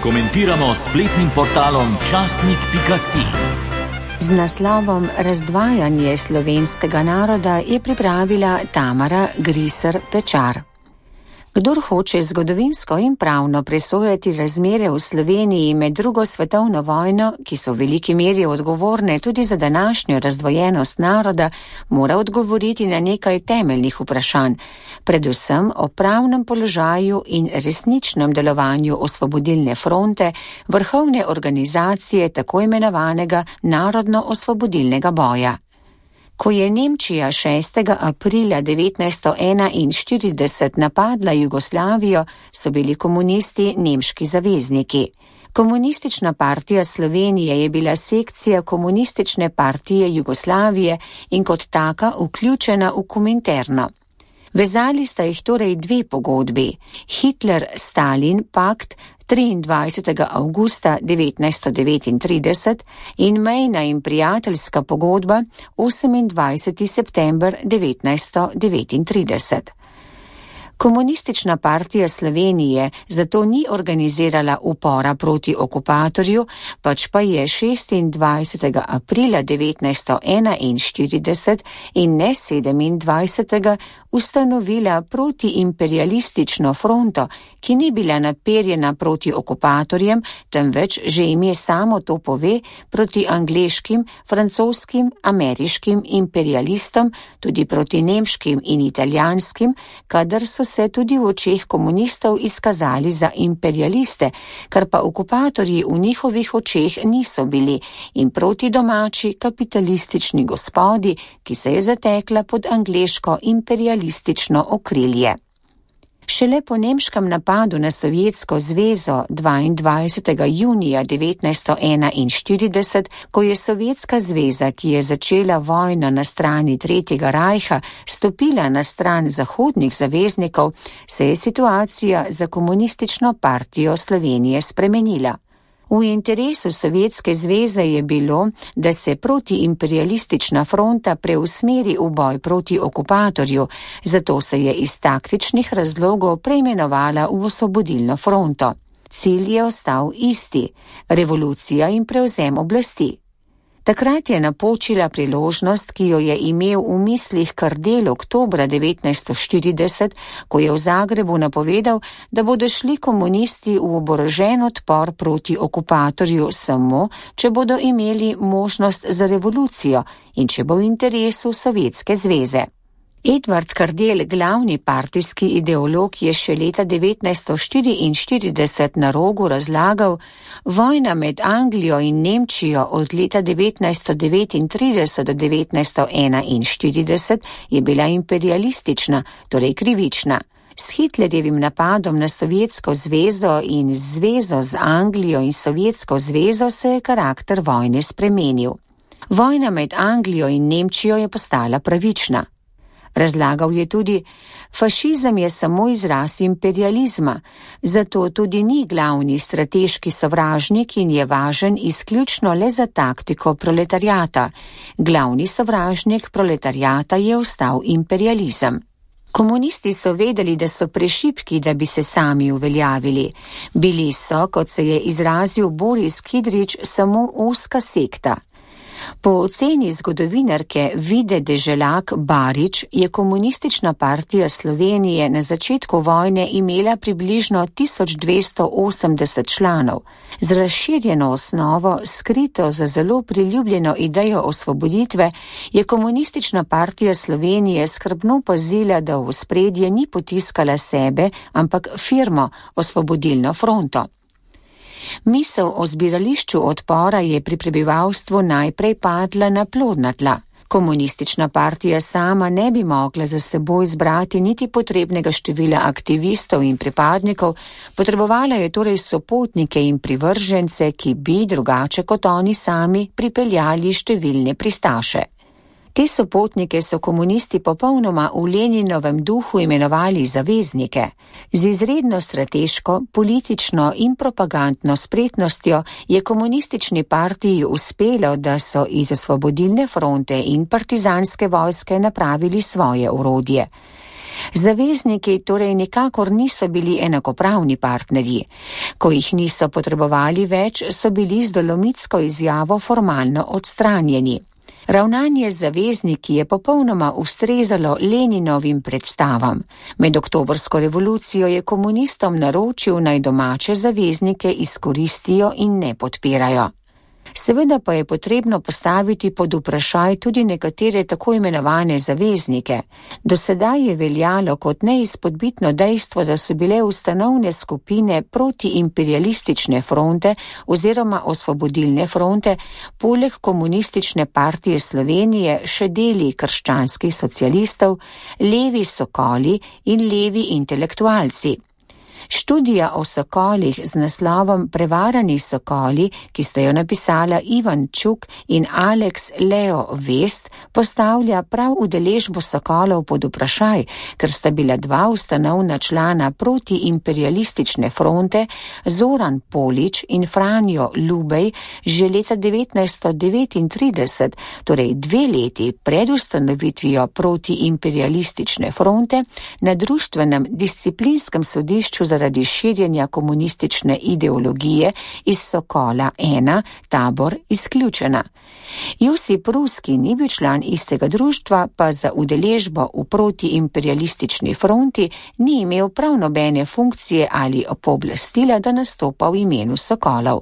komentiramo s spletnim portalom časnik.si. Z naslovom Razdvajanje slovenskega naroda je pripravila Tamara Griser Pečar. Kdor hoče zgodovinsko in pravno presojati razmere v Sloveniji med drugo svetovno vojno, ki so v veliki meri odgovorne tudi za današnjo razdvojenost naroda, mora odgovoriti na nekaj temeljnih vprašanj, predvsem o pravnem položaju in resničnem delovanju Osvobodilne fronte, vrhovne organizacije tako imenovanega narodno-osvobodilnega boja. Ko je Nemčija 6. aprila 1941 napadla Jugoslavijo, so bili komunisti nemški zavezniki. Komunistična partija Slovenije je bila sekcija Komunistične partije Jugoslavije in kot taka vključena v Kominterno. Vezali sta jih torej dve pogodbi, Hitler-Stalin pakt 23. avgusta 1939 in mejna in prijateljska pogodba 28. september 1939. Komunistična partija Slovenije zato ni organizirala upora proti okupatorju, pač pa je 26. aprila 1941 in ne 27. ustanovila protiimperialistično fronto, ki ni bila naperjena proti okupatorjem, temveč že ime samo to pove, proti angleškim, francoskim, ameriškim imperialistom, tudi proti nemškim in italijanskim, kadar so se tudi v očeh komunistov izkazali za imperialiste, kar pa okupatorji v njihovih očeh niso bili, in proti domači kapitalistični gospodi, ki se je zatekla pod angleško imperialistično okrilje. Šele po nemškem napadu na Sovjetsko zvezo 22. junija 1941, ko je Sovjetska zveza, ki je začela vojno na strani Tretjega rajha, stopila na stran zahodnih zaveznikov, se je situacija za Komunistično partijo Slovenije spremenila. V interesu Sovjetske zveze je bilo, da se protiimperialistična fronta preusmeri v boj proti okupatorju, zato se je iz taktičnih razlogov preimenovala v Osvobodilno fronto. Cilj je ostal isti, revolucija in prevzem oblasti. Takrat je napočila priložnost, ki jo je imel v mislih Kardelj oktobra 1940, ko je v Zagrebu napovedal, da bodo šli komunisti v oborožen odpor proti okupatorju samo, če bodo imeli možnost za revolucijo in če bo v interesu Sovjetske zveze. Edvard Kardelj, glavni partijski ideolog, je še leta 1944 na Rogu razlagal: vojna med Anglijo in Nemčijo od leta 1939 do 1941 je bila imperialistična, torej krivična. S Hitlerjevim napadom na Sovjetsko zvezo in zvezo z Anglijo in Sovjetsko zvezo se je karakter vojne spremenil. Vojna med Anglijo in Nemčijo je postala pravična. Razlagal je tudi, fašizem je samo izraz imperializma, zato tudi ni glavni strateški sovražnik in je važen izključno le za taktiko proletariata. Glavni sovražnik proletariata je ostal imperializem. Komunisti so vedeli, da so prešibki, da bi se sami uveljavili. Bili so, kot se je izrazil Boris Kidrič, samo ozka sekta. Po oceni zgodovinarke Vide Deželak Barič je Komunistična partija Slovenije na začetku vojne imela približno 1280 članov. Z razširjeno osnovo, skrito za zelo priljubljeno idejo osvoboditve, je Komunistična partija Slovenije skrbno pazila, da v ospredje ni potiskala sebe, ampak firmo Osvobodilno fronto. Misel o zbirališču odpora je pri prebivalstvu najprej padla na plodna tla. Komunistična partija sama ne bi mogla za seboj zbrati niti potrebnega števila aktivistov in pripadnikov, potrebovala je torej sopotnike in privržence, ki bi, drugače kot oni sami, pripeljali številne pristaše. Te sopotnike so komunisti popolnoma v Leninovem duhu imenovali zaveznike. Z izredno strateško, politično in propagandno spretnostjo je komunistični partiji uspelo, da so iz Osvobodilne fronte in partizanske vojske napravili svoje orodje. Zavezniki torej nikakor niso bili enakopravni partnerji. Ko jih niso potrebovali več, so bili z dolomitsko izjavo formalno odstranjeni. Ravnanje z zavezniki je popolnoma ustrezalo Leninovim predstavam. Med oktobrsko revolucijo je komunistom naročil, naj domače zaveznike izkoristijo in ne podpirajo. Seveda pa je potrebno postaviti pod vprašaj tudi nekatere tako imenovane zaveznike. Do sedaj je veljalo kot neizpodbitno dejstvo, da so bile ustanovne skupine protiimperialistične fronte oziroma osvobodilne fronte poleg Komunistične partije Slovenije še deli krščanskih socialistov, levi sokoli in levi intelektualci. Študija o sokolih z naslovom Prevarani sokoli, ki sta jo napisala Ivan Čuk in Alex Leo Vest, postavlja prav udeležbo sokolov pod vprašaj, ker sta bila dva ustanovna člana protiimperialistične fronte, Zoran Polič in Franjo Lubej, že leta 1939, torej 2 leti pred ustanovitvijo protiimperialistične fronte, na društvenem disciplinskem sodišču zaradi širjenja komunistične ideologije iz Sokola 1, tabor izključena. Josip Ruski ni bil član istega društva, pa za udeležbo v protiimperialistični fronti ni imel prav nobene funkcije ali pooblastila, da nastopa v imenu Sokolov.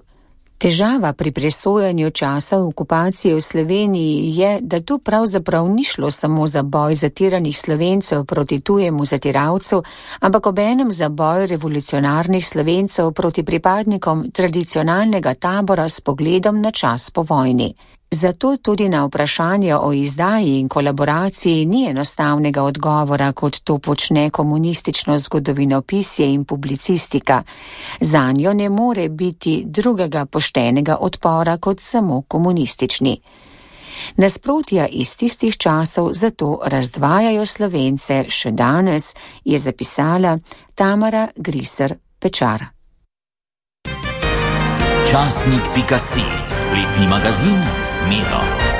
Težava pri presojanju časa okupacije v Sloveniji je, da tu pravzaprav ni šlo samo za boj zatiranih Slovencev proti tujemu zatiralcu, ampak obenem za boj revolucionarnih Slovencev proti pripadnikom tradicionalnega tabora s pogledom na čas po vojni. Zato tudi na vprašanje o izdaji in kolaboraciji ni enostavnega odgovora, kot to počne komunistično zgodovinopisje in publicistika. Zanjo ne more biti drugega poštenega odpora kot samo komunistični. Nasprotja iz tistih časov zato razdvajajo Slovence še danes, je zapisala Tamara Griser Pečar. Časnik.si, spletni magazin z Miro.